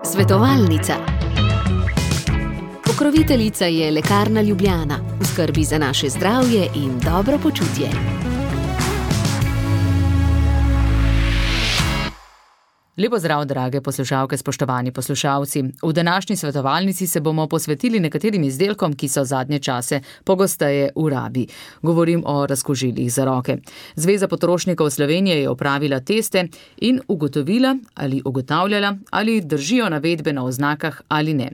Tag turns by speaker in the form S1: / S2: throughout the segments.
S1: Svetovalnica. Pokroviteljica je Lekarna Ljubljana, v skrbi za naše zdravje in dobro počutje.
S2: Lepo zdrav, drage poslušalke, spoštovani poslušalci. V današnji svetovalnici se bomo posvetili nekaterim izdelkom, ki so zadnje čase pogosteje v rabi. Govorim o razkužilih za roke. Zveza potrošnikov Slovenije je opravila teste in ugotavljala, ali držijo navedbe na oznakah ali ne.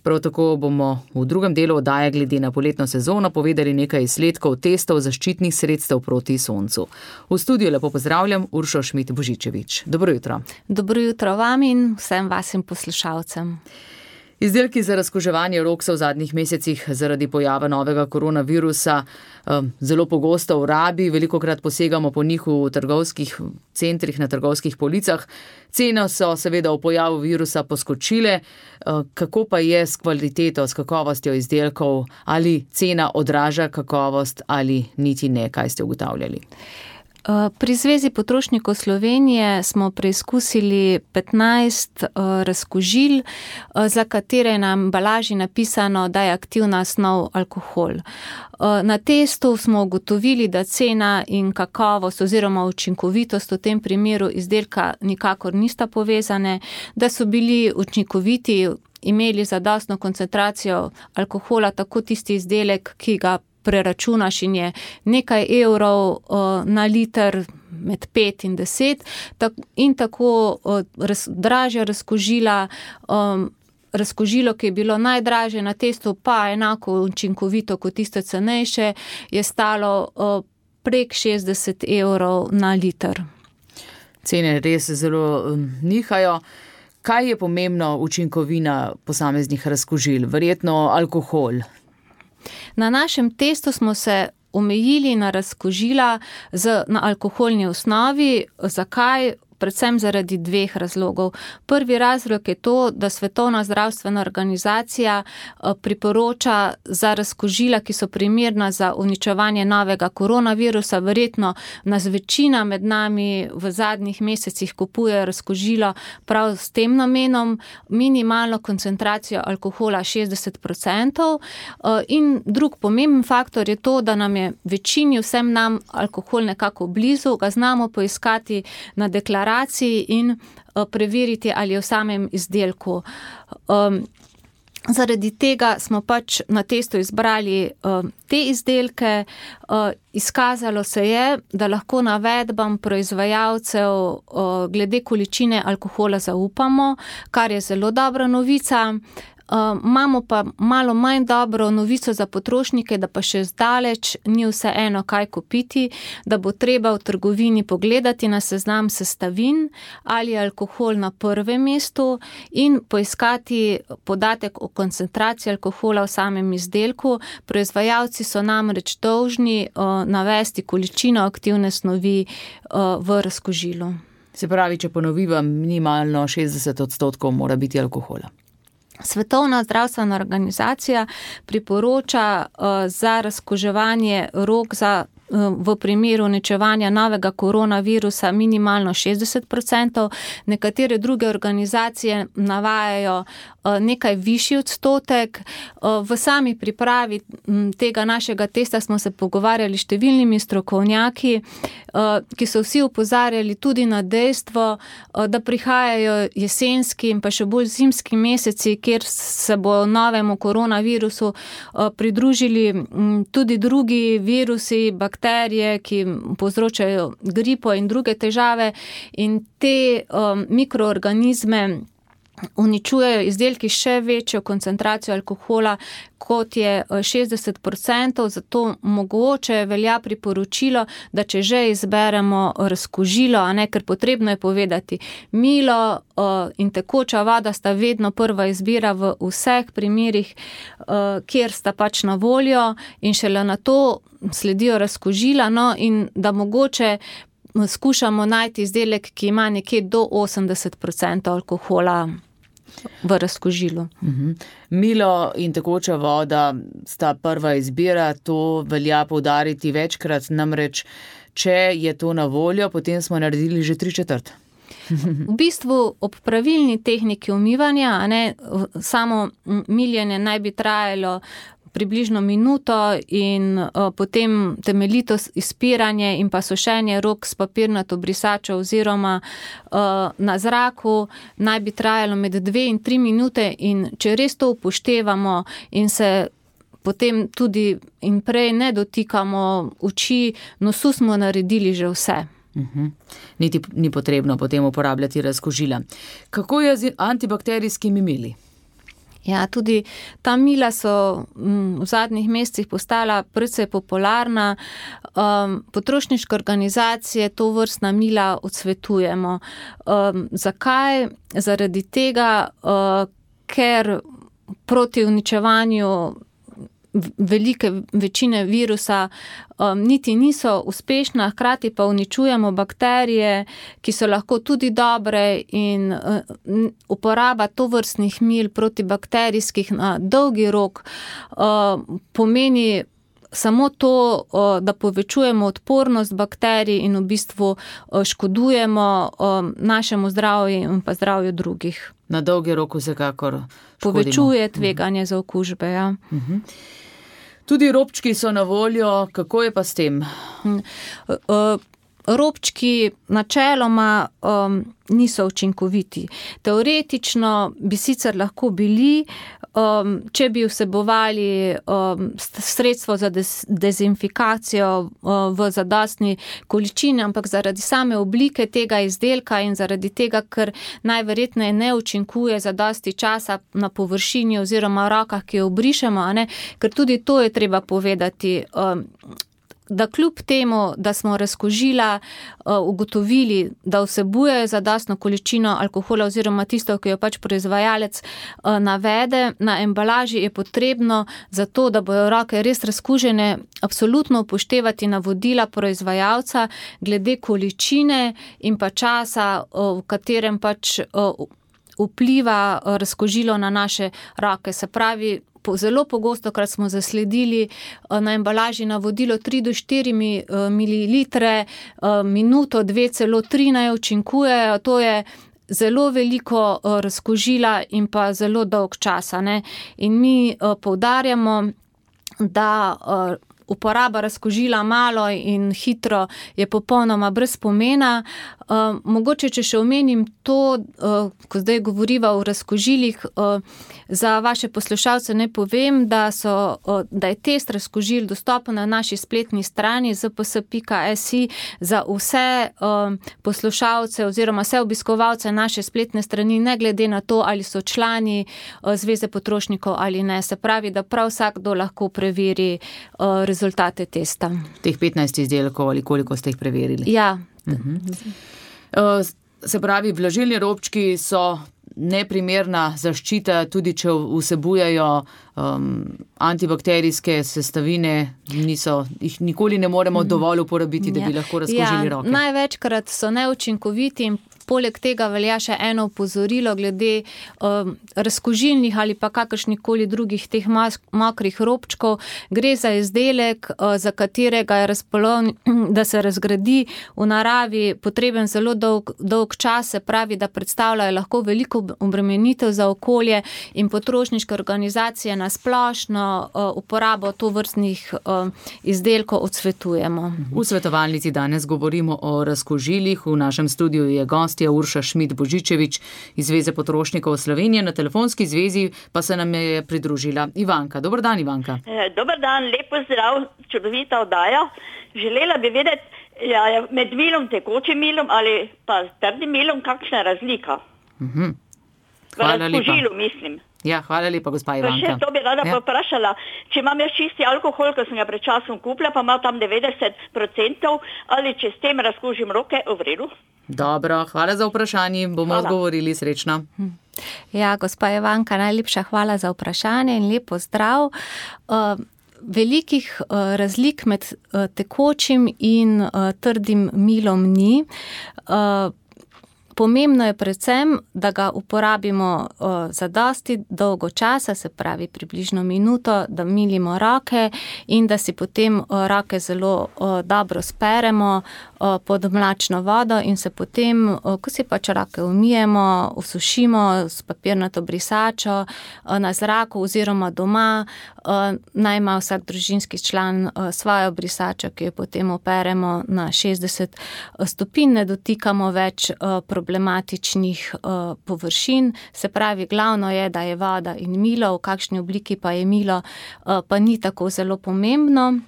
S2: Prav tako bomo v drugem delu oddaje glede na poletno sezono povedali nekaj izsledkov testov zaščitnih sredstev proti soncu. V studiu lepo pozdravljam Uršo Šmit-Božičevič. Dobro jutro.
S3: Dobro jutro vam in vsem vašim poslušalcem.
S2: Izdelki za razkuževanje rok so v zadnjih mesecih zaradi pojava novega koronavirusa zelo pogosto v rabi, velikokrat posegamo po njih v trgovskih centrih, na trgovskih policah. Cene so seveda v pojavu virusa poskočile. Kako pa je s kvaliteto, s kakovostjo izdelkov? Ali cena odraža kakovost ali niti ne? Kaj ste ugotavljali?
S3: Pri Zvezi potrošnikov Slovenije smo preizkusili 15 razkužil, za katere je na embalaži napisano, da je aktivna snov alkohol. Na testu smo ugotovili, da cena in kakovost oziroma učinkovitost v tem primeru izdelka nikakor nista povezane, da so bili učinkoviti, imeli zadostno koncentracijo alkohola, tako tisti izdelek, ki ga preračunaš in je nekaj evrov na liter, med 5 in 10, in tako dražja razkužila, razkužilo, ki je bilo najdražje na testu, pa enako učinkovito kot tisto cenejše, je stalo prek 60 evrov na liter.
S2: Cene res zelo nihajo. Kaj je pomembno učinkovina posameznih razkužil? Verjetno alkohol.
S3: Na našem testu smo se omejili na razkužila na alkoholni osnovi. Zakaj? Predvsem zaradi dveh razlogov. Prvi razlog je to, da Svetovna zdravstvena organizacija priporoča za razkužila, ki so primerna za uničevanje novega koronavirusa. Verjetno nas večina med nami v zadnjih mesecih kupuje razkužilo prav s tem namenom, minimalno koncentracijo alkohola 60%. In drug pomemben faktor je to, da nam je večini, vsem nam, alkohol nekako blizu, ga znamo poiskati na deklaraciji in preveriti, ali je v samem izdelku. Zaradi tega smo pač na testu izbrali te izdelke. Izkazalo se je, da lahko navedbam proizvajalcev glede količine alkohola zaupamo, kar je zelo dobra novica. Imamo pa malo manj dobro novico za potrošnike, da pa še zdaleč ni vseeno, kaj kupiti, da bo treba v trgovini pogledati na seznam sestavin, ali je alkohol na prvem mestu, in poiskati podatek o koncentraciji alkohola v samem izdelku. Proizvajalci so namreč dolžni navesti količino aktivne snovi v razkužilu.
S2: Se pravi, če ponoviva, minimalno 60% mora biti alkohola.
S3: Svetovna zdravstvena organizacija priporoča za razkuževanje rok v primeru uničevanja novega koronavirusa minimalno 60%. Nekatere druge organizacije navajajo nekaj višji odstotek. V sami pripravi tega našega testa smo se pogovarjali s številnimi strokovnjaki, ki so vsi opozarjali tudi na dejstvo, da prihajajo jesenski in pa še bolj zimski meseci, kjer se bo novemu koronavirusu pridružili tudi drugi virusi, bakterije, ki povzročajo gripo in druge težave, in te mikroorganizme uničujejo izdelki še večjo koncentracijo alkohola, kot je 60%, zato mogoče velja priporočilo, da če že izberemo razkužilo, ker potrebno je povedati, milo in tekoča voda sta vedno prva izbira v vseh primerih, kjer sta pač na voljo, in šele na to sledijo razkužila, in da mogoče skušamo najti izdelek, ki ima nekje do 80% alkohola v razkužilu.
S2: Milo in tekoča voda sta prva izbira, to velja poudariti večkrat, namreč če je to na voljo, potem smo naredili že 3/4.
S3: V bistvu ob pravilni tehniki umivanja, samo miljenje naj bi trajalo približno minuto in potem temeljito izpiranje in pa sušenje rok s papirnato brisačo oziroma na zraku naj bi trajalo med 2 in 3 minute in če res to upoštevamo in se potem tudi in prej ne dotikamo oči, nosu smo naredili že vse.
S2: Niti ni potrebno potem uporabljati razkužila. Kako je z antibakterijskimi mili?
S3: Ja, tudi ta mila so v zadnjih mesecih postala precej popularna. Potrošniške organizacije to vrstna mila odsvetujemo. Zakaj? Zaradi tega, ker proti uničevanju velike večine virusa niti niso uspešna, hkrati pa uničujemo bakterije, ki so lahko tudi dobre in uporaba tovrstnih mil protibakterijskih na dolgi rok pomeni samo to, da povečujemo odpornost bakterij in v bistvu škodujemo našemu zdravju in pa zdravju drugih.
S2: Na dolgi rok vsekakor škodimo.
S3: Povečuje tveganje za okužbe, ja.
S2: Tudi robčki so na voljo, kako je pa s tem?
S3: Robčki načeloma niso učinkoviti. Teoretično bi sicer lahko bili, če bi vsebovali sredstvo za dezinfikacijo v zadostni količini, ampak zaradi same oblike tega izdelka in zaradi tega, ker najverjetneje ne učinkuje zadosti časa na površini oziroma v rokah, ki jo obrišemo, ker tudi to je treba povedati, da kljub temu, da smo razkužila ugotovili, da vsebuje zadostno količino alkohola oziroma tisto, ki jo pač proizvajalec navede, na embalaži je potrebno za to, da bojo roke res razkužene, absolutno upoštevati navodila proizvajalca glede količine in pa časa, v katerem pač vpliva razkužilo na naše roke. Se pravi, zelo pogosto, krat smo zasledili na embalaži navodilo 3 do 4 mililitre, minuto, 2, celo 3 naj učinkujejo. To je zelo veliko razkužila in pa zelo dolg časa. In mi poudarjamo, da uporaba razkužila malo in hitro je popolnoma brez pomena. Mogoče, če še omenim to, ko zdaj govoriva o razkužilih, za vaše poslušalce ne povem, da je test razkužil dostopen na naši spletni strani zps.si za vse poslušalce oziroma vse obiskovalce naše spletne strani, ne glede na to, ali so člani Zveze potrošnikov ali ne. Se pravi, da prav vsakdo lahko preveri rezultate testa.
S2: Teh 15 izdelkov ali koliko ste jih preverili?
S3: Ja.
S2: Se pravi, vlažilni robčki so neprimerna zaščita, tudi če vsebujejo antibakterijske sestavine, jih nikoli ne moremo dovolj uporabiti, da bi lahko razkužili roke.
S3: Največkrat so neučinkoviti in poleg tega velja še eno opozorilo glede razkužilnih ali pa kakršnikoli drugih teh mokrih robčkov. Gre za izdelek, za katerega je da se razgradi v naravi potreben zelo dolg čas, se pravi, da predstavljajo lahko veliko obremenitev za okolje in potrošniške organizacije na splošno uporabo tovrstnih izdelkov odsvetujemo.
S2: V svetovalnici danes govorimo o razkužilih. V našem studiu je gost Urša Šmid-Božičevič iz Zveze potrošnikov Slovenije, na telefonski zvezi pa se nam je pridružila Ivanka. Dobar dan, Ivanka.
S4: Dobar dan, lep pozdrav, čudovita oddaja. Želela bi vedeti, med milom, tekočim milom ali pa trdim milom, kakšna je razlika?
S2: Hvala lepa.
S4: Razkužilu, mislim.
S2: Ja, hvala lepa, gospa Ivanka.
S4: Pa še to bi rada poprašala, če imam jaz čisti alkohol, ko sem ga pred časom kupila, pa ima tam 90%, ali če s tem razkužim roke, v redu?
S2: Dobro, hvala za vprašanje, bomo odgovorili, srečno.
S3: Ja, gospa Ivanka, najlepša hvala za vprašanje in lepo zdrav. Velikih razlik med tekočim in trdim milom ni. Pomembno je predvsem, da ga uporabimo za dosti dolgo časa, se pravi približno minuto, da milimo roke in da si potem roke zelo dobro speremo pod mlačno vodo in se potem, ko si pač roke umijemo, usušimo s papirnato brisačo na zraku oziroma doma, naj ima vsak družinski član svojo brisačo, ki jo potem operemo na 60 stopinj, ne dotikamo več problematičnih površin. Se pravi, glavno je, da je voda in milo, v kakšni obliki pa je milo, pa ni tako zelo pomembno.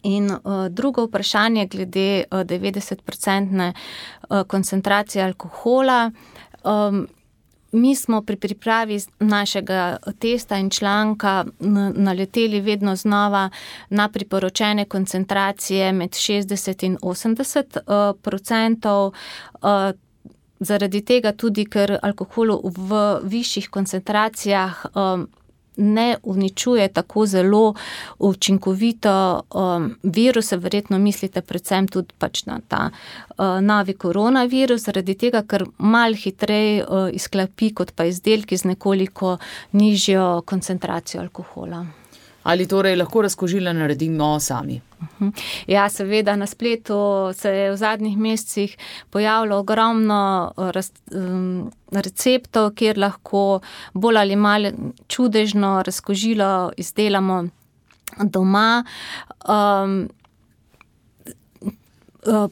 S3: In drugo vprašanje glede 90% koncentracije alkohola. Mi smo pri pripravi našega testa in članka naleteli vedno znova na priporočene koncentracije med 60 in 80%. Zaradi tega tudi, ker alkohol v višjih koncentracijah ne uničuje tako zelo učinkovito viruse, verjetno mislite predvsem tudi pač na ta novi koronavirus, zaradi tega, ker malo hitreje izklapi kot pa izdelki z nekoliko nižjo koncentracijo alkohola.
S2: Ali torej lahko razkužila naredimo sami?
S3: Ja, seveda, na spletu se je v zadnjih mesecih pojavilo ogromno receptov, kjer lahko bolj ali malo čudežno razkužilo izdelamo doma.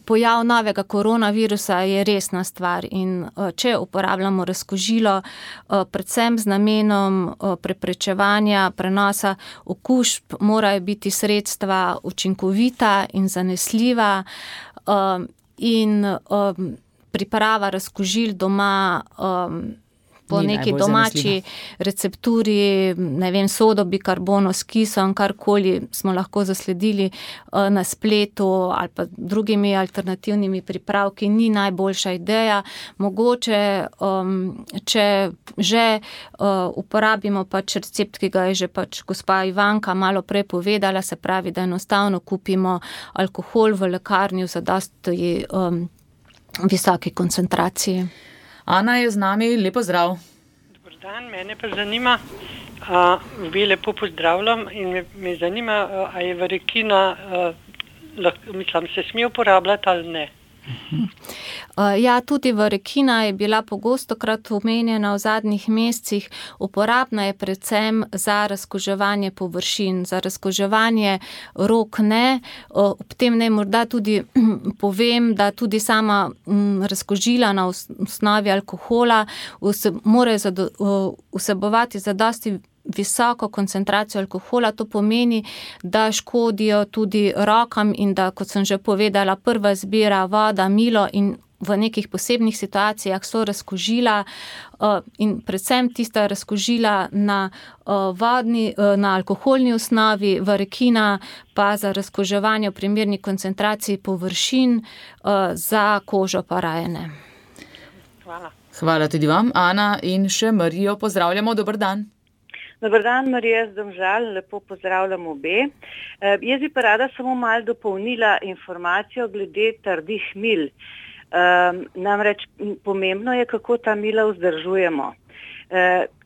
S3: Pojav novega koronavirusa je resna stvar in če uporabljamo razkužilo predvsem z namenom preprečevanja prenosa okužb, morajo biti sredstva učinkovita in zanesljiva in priprava razkužil doma po neki domači recepturi, ne vem, sodo, bikarbono s kisom, karkoli smo lahko zasledili na spletu ali pa drugimi alternativnimi pripravki, ni najboljša ideja. Mogoče, če že uporabimo pač recept, ki ga je že pač gospa Ivanka malo prej povedala, se pravi, da enostavno kupimo alkohol v lekarni v zadosti visoki koncentraciji.
S2: Ana je z nami, lepo zdrav.
S5: Dobar dan, mene pa zanima, vi lepo pozdravljam in me zanima, a je varekina, se sme uporabljati ali ne?
S3: Ja, tudi varekina je bila pogostokrat omenjena v zadnjih mesecih. Uporabna je predvsem za razkuževanje površin, za razkuževanje rok ne. Ob tem naj morda tudi povem, da tudi sama razkužila na osnovi alkohola morajo vsebovati zadosti visoko koncentracijo alkohola. To pomeni, da škodijo tudi rokam in da, kot sem že povedala, prva zbira voda, milo in v nekih posebnih situacijah so razkužila in predvsem tista razkužila na alkoholni osnovi, varekina pa za razkuževanje v primerni koncentraciji površin, za kožo pa raje ne.
S5: Hvala.
S2: Hvala tudi vam, Ana, in še Marijo pozdravljamo, dober dan.
S6: Dobar dan, Marija z Domžal, lepo pozdravljam obe. Jaz bi pa rada samo malo dopolnila informacijo glede trdih mil. Namreč pomembno je, kako ta mila vzdržujemo.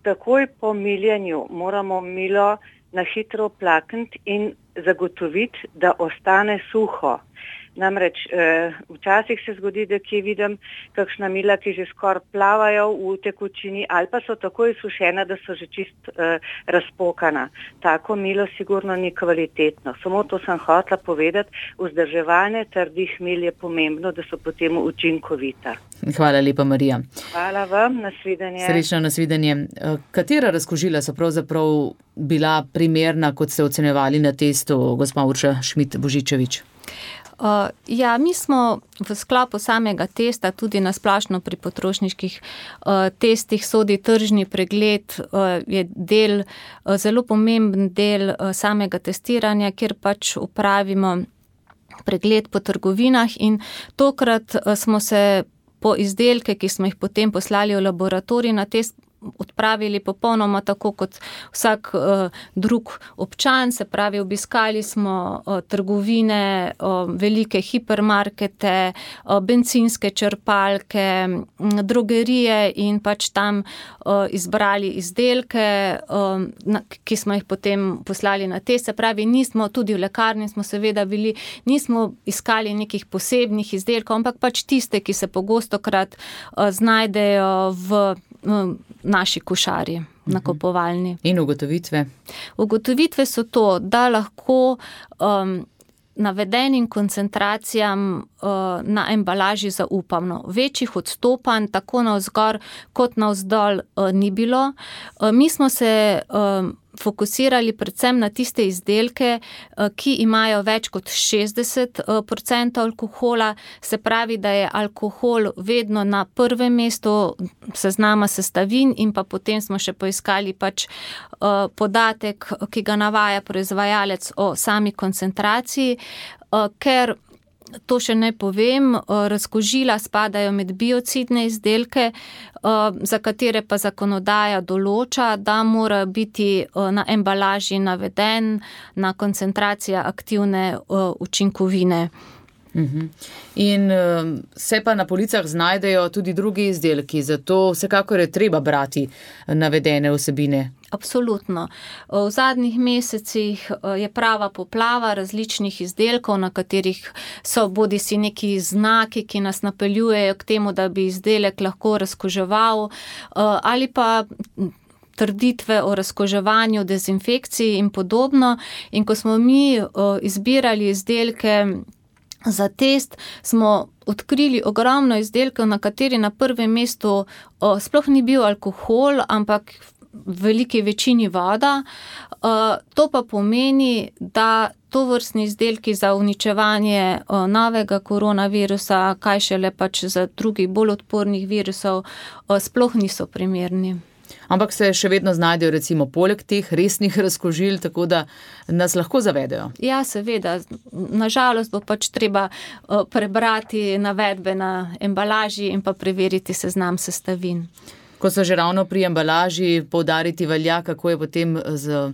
S6: Takoj po miljenju moramo milo na hitro oplakniti in zagotoviti, da ostane suho. Namreč včasih se zgodi, da kje vidim kakšna mila, ki že skoraj plavajo v tekočini ali pa so tako izsušena, da so že čist razpokana. Tako milo sigurno ni kvalitetno. Samo to sem hotela povedati, vzdrževanje trdih mil je pomembno, da so potem učinkovita.
S2: Hvala lepa, Marija.
S6: Hvala vam, nasvidenje.
S2: Srečno, nasvidenje. Katera razkužila so pravzaprav bila primerna, kot ste ocenjevali na testu, gospa Urša Šmit-Božičevič?
S3: Ja, mi smo v sklopu samega testa, tudi na splošno pri potrošniških testih sodi tržni pregled, je del, zelo pomemben del samega testiranja, kjer pač upravimo pregled po trgovinah in tokrat smo se po izdelke, ki smo jih potem poslali v laboratorij na test, odpravili popolnoma tako kot vsak drug občan, se pravi, obiskali smo trgovine, velike hipermarkete, bencinske črpalke, drogerije in pač tam izbrali izdelke, ki smo jih potem poslali na test. Se pravi, nismo, tudi v lekarni smo seveda bili, nismo iskali nekih posebnih izdelkov, ampak pač tiste, ki se pogostokrat znajdejo v naši košari nakupovalni.
S2: In ugotovitve?
S3: Ugotovitve so to, da lahko navedenim koncentracijam na embalaži zaupamo. Večjih odstopanj tako navzgor kot navzdol ni bilo. Mi smo se fokusirali predvsem na tiste izdelke, ki imajo več kot 60% alkohola, se pravi, da je alkohol vedno na prvem mestu seznama sestavin in pa potem smo še poiskali pač podatek, ki ga navaja proizvajalec o sami koncentraciji, ker to še ne povem, razkužila spadajo med biocidne izdelke, za katere pa zakonodaja določa, da mora biti na embalaži navedena koncentracija aktivne učinkovine.
S2: In se pa na policah znajdejo tudi drugi izdelki, zato vsekakor je treba brati navedene vsebine.
S3: Absolutno. V zadnjih mesecih je prava poplava različnih izdelkov, na katerih so bodisi neki znaki, ki nas napeljujejo k temu, da bi izdelek lahko razkuževal, ali pa trditve o razkuževanju, dezinfekciji in podobno. In ko smo mi izbirali izdelke za test, smo odkrili ogromno izdelkov, na kateri na prvem mestu sploh ni bil alkohol, ampak v veliki večini voda. To pa pomeni, da tovrstni izdelki za uničevanje novega koronavirusa, kaj šele pač za drugih bolj odpornih virusov, sploh niso primerni.
S2: Ampak se še vedno znajdejo recimo poleg teh resnih razkužil, tako da nas lahko zavedajo.
S3: Ja, seveda. Nažalost bo pač treba prebrati navedbe na embalaži in pa preveriti seznam sestavin.
S2: Ko so že ravno pri embalaži, poudariti velja, kako je potem z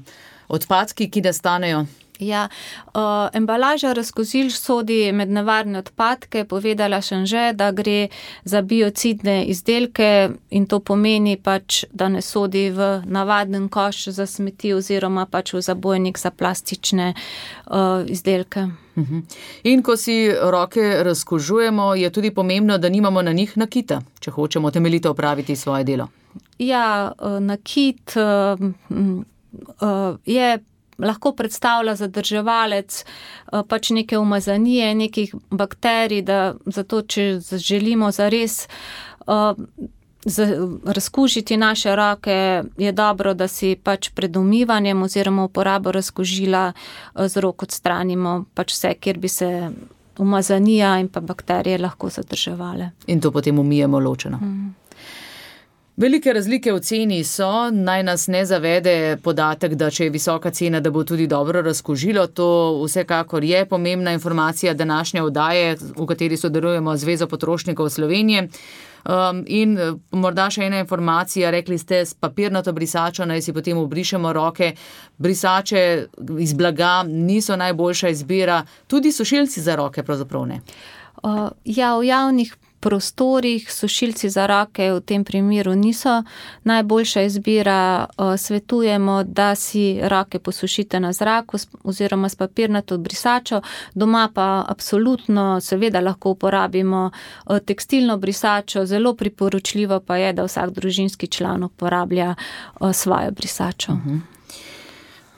S2: odpadki, ki nastanejo.
S3: Ja, embalaža razkužil sodi med nevarne odpadke. Povedala sem že, da gre za biocidne izdelke in to pomeni pač, da ne sodi v navaden koš za smeti oziroma pač v zabojnik za plastične izdelke.
S2: In ko si roke razkužujemo, je tudi pomembno, da nimamo na njih nakita, če hočemo temeljito opraviti svoje delo.
S3: Ja, nakit je lahko predstavlja zadrževalec pač neke umazanije, nekih bakterij, zato če želimo zares razkužiti naše roke, je dobro, da si pač pred umivanjem oziroma uporabo razkužila z rok odstranimo pač vse, kjer bi se umazanija in pa bakterije lahko zadrževale.
S2: In to potem umijemo ločeno. Velike razlike v ceni so, naj nas ne zavede podatek, da če je visoka cena, da bo tudi dobro razkužilo. To vsekakor je pomembna informacija današnje oddaje, v kateri sodelujemo z Zvezo potrošnikov Slovenije. In morda še ena informacija, rekli ste, s papirnato brisačo naj si potem obrišemo roke. Brisače iz blaga niso najboljša izbira, tudi sušilci za roke pravzaprav ne.
S3: Ja, v javnih prostorih sušilci za roke v tem primeru niso najboljša izbira. Svetujemo, da si roke posušite na zraku oziroma s papirnato brisačo. Doma pa absolutno seveda lahko uporabimo tekstilno brisačo. Zelo priporočljivo pa je, da vsak družinski član uporablja svojo brisačo.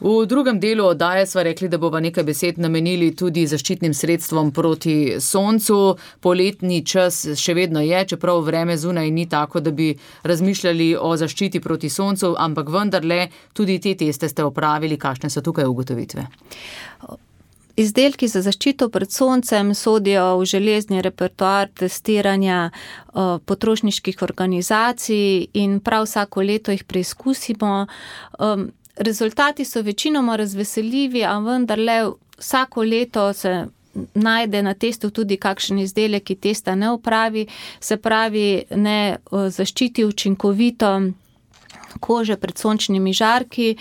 S2: V drugem delu oddaje sva rekli, da bova nekaj besed namenili tudi zaščitnim sredstvom proti soncu. Poletni čas še vedno je, čeprav vreme zunaj ni tako, da bi razmišljali o zaščiti proti soncu, ampak vendarle tudi te teste ste opravili. Kakšne so tukaj ugotovitve?
S3: Izdelki za zaščito pred soncem sodijo v železni repertoar testiranja potrošniških organizacij in prav vsako leto jih preizkusimo. Rezultati so večinoma razveseljivi, a vendarle vsako leto se najde na testu tudi kakšen izdelek, ki testa ne opravi, se pravi ne zaščiti učinkovito kože pred sončnimi žarki.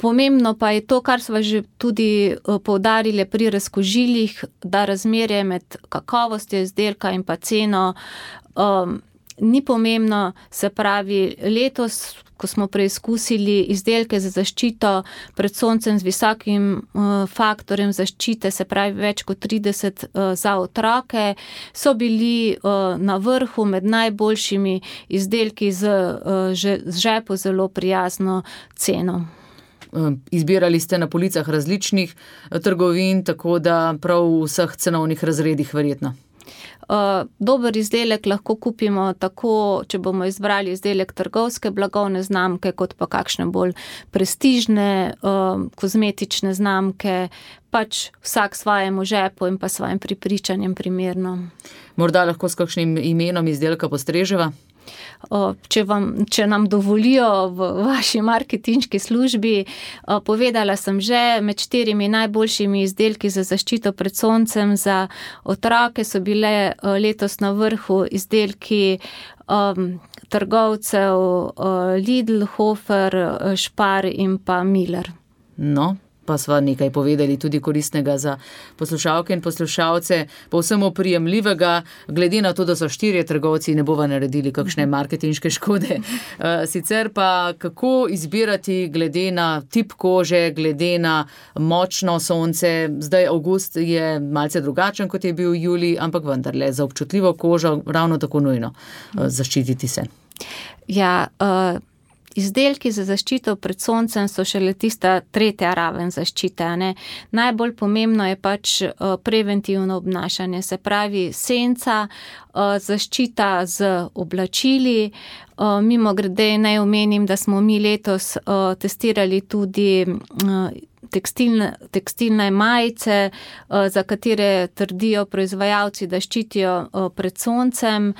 S3: Pomembno pa je to, kar smo že tudi poudarili pri razkužilih, da razmerje med kakovostjo izdelka in pa ceno ni pomembno. Se pravi, letos, ko smo preizkusili izdelke za zaščito pred soncem z visokim faktorjem zaščite, se pravi več kot 30 za otroke, so bili na vrhu med najboljšimi izdelki z žepu zelo prijazno ceno.
S2: Izbirali ste na policah različnih trgovin, tako da prav v vseh cenovnih razredih verjetno.
S3: Dober izdelek lahko kupimo tako, če bomo izbrali izdelek trgovske blagovne znamke, kot pa kakšne bolj prestižne kozmetične znamke, pač vsak svojemu žepu in pa svojim prepričanjem primerno.
S2: Morda lahko s kakšnim imenom izdelka postreževa?
S3: Če nam dovolijo v vaši marketinški službi, povedala sem že, med 4 najboljšimi izdelki za zaščito pred soncem za otroke so bile letos na vrhu izdelki trgovcev Lidl, Hofer, Spar in pa Miller.
S2: No, pa sva nekaj povedali tudi koristnega za poslušalke in poslušalce, povsem oprijemljivega, glede na to, da so 4 trgovci, ne bova naredili kakšne marketinške škode. Sicer pa kako izbirati glede na tip kože, glede na močno sonce, zdaj avgust je malce drugačen, kot je bil julij, ampak vendarle za občutljivo kožo ravno tako nujno zaščititi se.
S3: Ja, izdelki za zaščito pred soncem so šele tista 3. raven zaščite. Ne? Najbolj pomembno je pač preventivno obnašanje, se pravi senca, zaščita z oblačili. Mimogrede naj omenim, da smo mi letos testirali tudi tekstilne majice, za katere trdijo proizvajalci, da ščitijo pred soncem.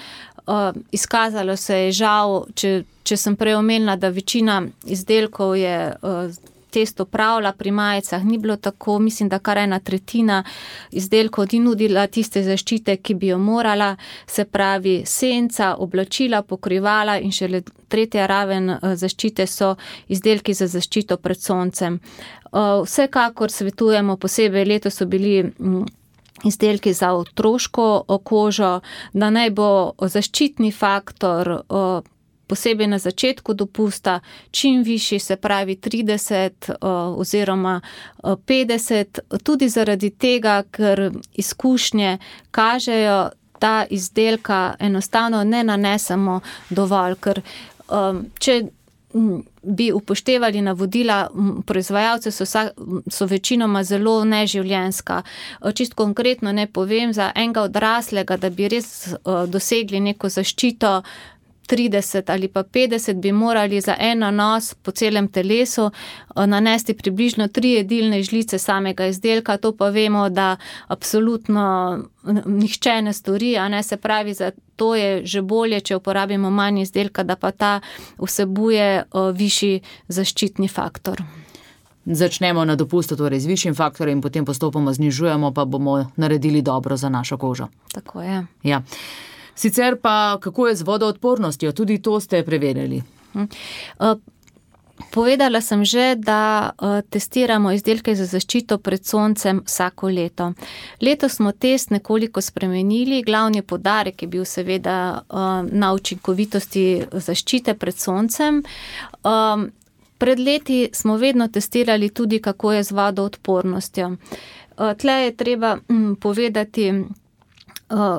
S3: Izkazalo se je žal, če sem prej omenila, da večina izdelkov je testo pravila pri majicah, ni bilo tako, mislim, da kar 1/3 izdelkov ni nudila tiste zaščite, ki bi jo morala, se pravi senca, oblačila, pokrivala in šele 3. raven zaščite so izdelki za zaščito pred soncem. Vsekakor svetujemo, posebej letos so bili izdelki za otroško kožo, da naj bo zaščitni faktor posebej na začetku dopusta čim višji, se pravi 30 oziroma 50, tudi zaradi tega, ker izkušnje kažejo, da izdelka enostavno ne nanesemo dovolj, ker če bi upoštevali navodila proizvajalcev, so večinoma zelo neživljenjska. Čisto konkretno ne povem, za enega odraslega, da bi res dosegli neko zaščito 30 ali pa 50, bi morali za en nanos po celem telesu nanesti približno 3 jedilne žlice samega izdelka, to pa vemo, da absolutno nihče ne stori, a ne, se pravi, za to je že bolje, če uporabimo manj izdelka, da pa ta vsebuje višji zaščitni faktor.
S2: Začnemo na dopustu, torej z višjim faktorjem, potem postopoma znižujemo, pa bomo naredili dobro za našo kožo.
S3: Tako je.
S2: Ja. Sicer pa, kako je z vodoodpornostjo? Tudi to ste preverili.
S3: Povedala sem že, da testiramo izdelke za zaščito pred soncem vsako leto. Letos smo test nekoliko spremenili, glavni poudarek je bil seveda na učinkovitosti zaščite pred soncem. Pred leti smo vedno testirali tudi, kako je z vodoodpornostjo. Tle je treba povedati,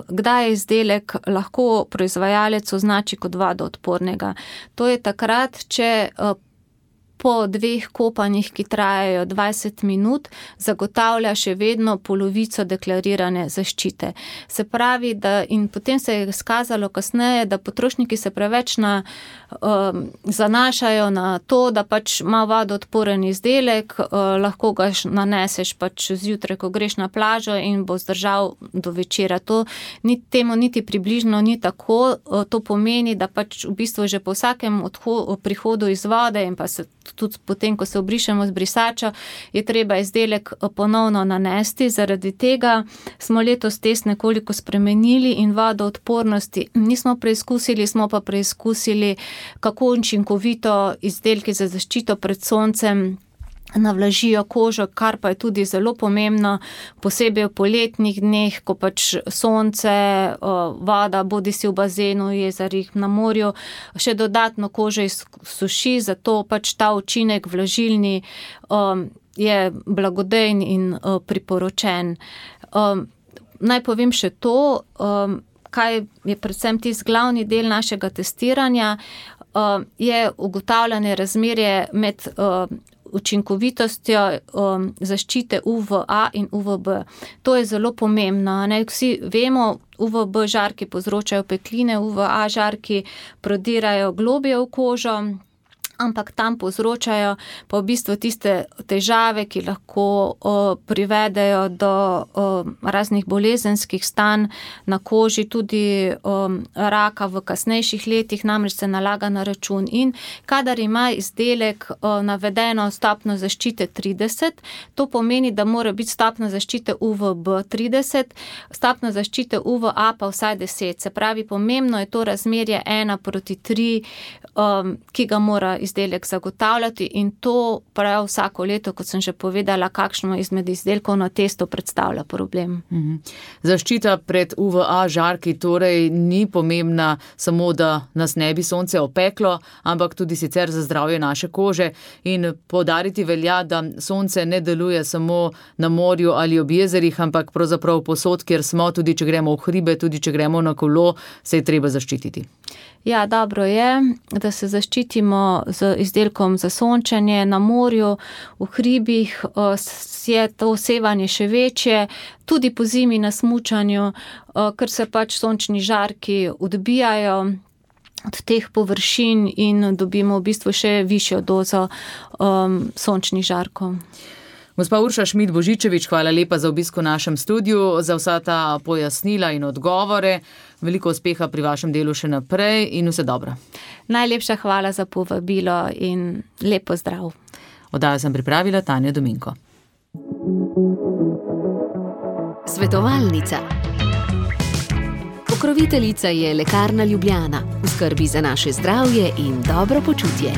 S3: kdaj je izdelek lahko proizvajalec označi kot vodoodpornega. To je takrat, če po 2 kopanjih, ki trajajo 20 minut, zagotavlja še vedno polovico deklarirane zaščite. Se pravi, da in potem se je izkazalo kasneje, da potrošniki se preveč zanašajo na to, da pač ima vodoodporen izdelek, lahko ga naneseš pač zjutraj, ko greš na plažo in bo zdržal do večera. Temu niti približno ni tako. To pomeni, da pač v bistvu že po vsakem prihodu iz vode in pa se tudi potem, ko se obrišemo z brisačo, je treba izdelek ponovno nanesti. Zaradi tega smo letos test nekoliko spremenili in vodoodpornosti nismo preizkusili, smo pa preizkusili, kako učinkovito izdelki za zaščito pred soncem navlažijo kožo, kar pa je tudi zelo pomembno, posebej v poletnih dneh, ko pač sonce, voda, bodisi v bazenu, jezerih, na morju, še dodatno kožo izsuši, zato pač ta učinek vlažilni je blagodejen in priporočen. Naj povem še to, kaj je predvsem tisti glavni del našega testiranja, je ugotavljanje razmerje med učinkovitostjo zaščite UVA in UVB. To je zelo pomembno. Vsi vemo, UVB žarki povzročajo opekline, UVA žarki prodirajo globje v kožo, ampak tam povzročajo pa v bistvu tiste težave, ki lahko privedejo do raznih bolezenskih stanj na koži, tudi raka v kasnejših letih, namreč se nalaga na račun. In kadar ima izdelek navedeno stopnjo zaščite 30, to pomeni, da mora biti stopnja zaščite UVB 30, stopnja zaščite UVA pa vsaj 10. Se pravi, pomembno je to razmerje 1:3, ki ga mora izdelek zagotavljati, in to prav vsako leto, kot sem že povedala, kakšno izmed izdelkov na testu predstavlja problem.
S2: Zaščita pred UVA žarki torej ni pomembna samo, da nas ne bi sonce opeklo, ampak tudi sicer za zdravje naše kože, in poudariti velja, da sonce ne deluje samo na morju ali ob jezerih, ampak pravzaprav povsod, kjer smo, tudi če gremo v hribe, tudi če gremo na kolo, se je treba zaščititi.
S3: Ja, dobro je, da se zaščitimo z izdelkom za sončenje na morju, v hribih je to sevanje še večje, tudi po zimi na smučanju, ker se pač sončni žarki odbijajo od teh površin in dobimo v bistvu še višjo dozo sončnih žarkov.
S2: Gospa Urša Šmid-Božičevič, hvala lepa za obisk v našem studiu, za vsa ta pojasnila in odgovore. Veliko uspeha pri vašem delu še naprej in vse dobro.
S3: Najlepša hvala za povabilo in lep pozdrav.
S2: Oddajo sem pripravila Tanja Dominko.
S1: Svetovalnica. Pokroviteljica je Lekarna Ljubljana, v skrbi za naše zdravje in dobro počutje.